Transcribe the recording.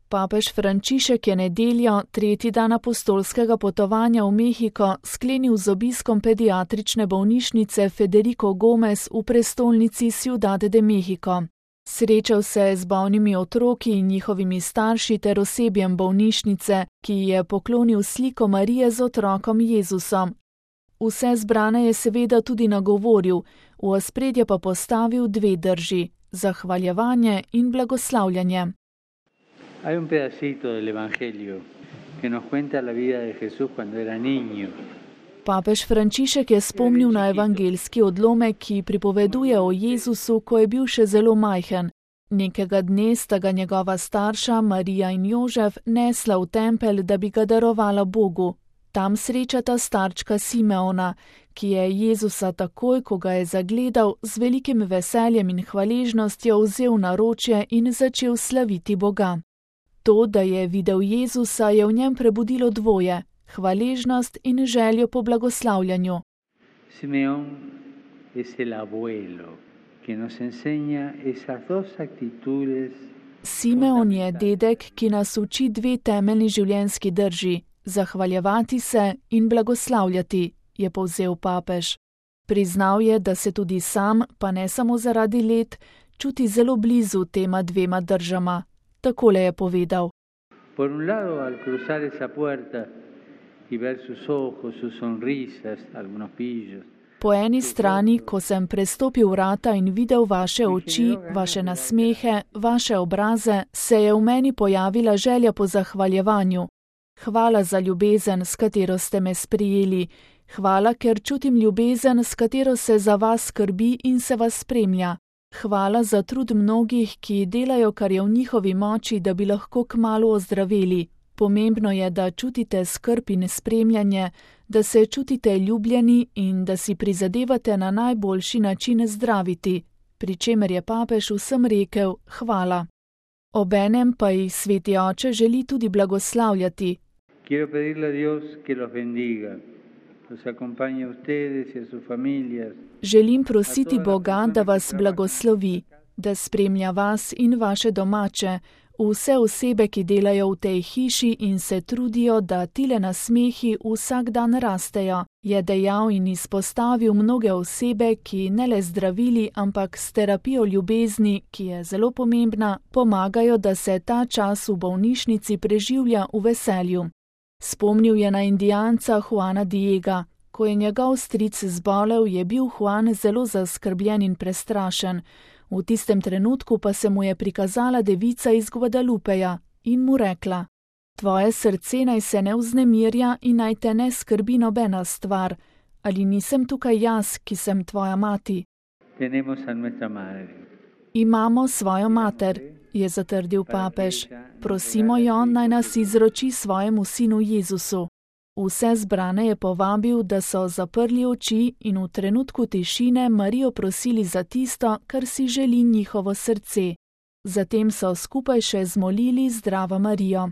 Papež Frančišek je nedeljo, tretji dan apostolskega potovanja v Mehiko, sklenil z obiskom pediatrične bolnišnice Federico Gomez v prestolnici Ciudad de México. Srečal se je z bolnimi otroki in njihovimi starši ter osebjem bolnišnice, ki ji je poklonil sliko Marije z otrokom Jezusom. Vse zbrane je seveda tudi nagovoril, v ospredje pa postavil dve drži: zahvaljevanje in blagoslavljanje. Hay un pedacito del Evangelio que nos cuenta la vida de Jesús cuando era niño. Papež Frančišek je spomnil na evangeljski odlomek, ki pripoveduje o Jezusu, ko je bil še zelo majhen. Nekega dne sta ga njegova starša, Marija in Jožef, nesla v tempelj, da bi ga darovala Bogu. Tam srečata starčka Simeona, ki je Jezusa takoj, ko ga je zagledal, z velikim veseljem in hvaležnostjo vzel na ročje in začel slaviti Boga. To, da je videl Jezusa, je v njem prebudilo dvoje: hvaležnost in željo po blagoslavljanju. Simeón es el abuelo que nos enseña esas dos actitudes. Simeon je dedek, ki nas uči dve temeljni življenjski drži: zahvaljevati se in blagoslavljati, je povzel papež. Priznal je, da se tudi sam, pa ne samo zaradi let, čuti zelo blizu tema dvema držama. Takole je povedal: Por un lado, al cruzar esa puerta y ver sus ojos, sus sonrisas, algunos pillos. Po eni strani, ko sem prestopil vrata in videl vaše oči, vaše nasmehe, vaše obraze, se je v meni pojavila želja po zahvaljevanju. Hvala za ljubezen, s katero ste me sprijeli. Hvala, ker čutim ljubezen, s katero se za vas skrbi in se vas spremlja. Hvala za trud mnogih, ki delajo, kar je v njihovi moči, da bi lahko kmalu ozdraveli. Pomembno je, da čutite skrb in spremljanje, da se čutite ljubljeni in da si prizadevate na najboljši način zdraviti, pri čemer je papež vsem rekel hvala. Obenem pa jih Sveti Oče želi tudi blagoslavljati. Quiero pedirle a Dios que los bendiga, los acompañe a ustedes y a sus familias. Želim prositi Boga, da vas blagoslovi, da spremlja vas in vaše domače, vse osebe, ki delajo v tej hiši in se trudijo, da tile nasmehi vsak dan rastejo, je dejal in izpostavil mnoge osebe, ki ne le zdravili, ampak s terapijo ljubezni, ki je zelo pomembna, pomagajo, da se ta čas v bolnišnici preživlja v veselju. Spomnil je na Indijanca Juana Diega. Ko je njegov stric zbolel, je bil Juan zelo zaskrbljen in prestrašen. V tistem trenutku pa se mu je prikazala devica iz Guadalupeja in mu rekla: Tvoje srce naj se ne vznemirja in naj te ne skrbi nobena stvar. Ali nisem tukaj jaz, ki sem tvoja mati? Imamo svojo mater, je zatrdil papež. Prosimo jo, naj nas izroči svojemu sinu Jezusu. Vse zbrane je povabil, da so zaprli oči in v trenutku tišine Marijo prosili za tisto, kar si želi njihovo srce. Zatem so skupaj še zmolili Zdravo Marijo.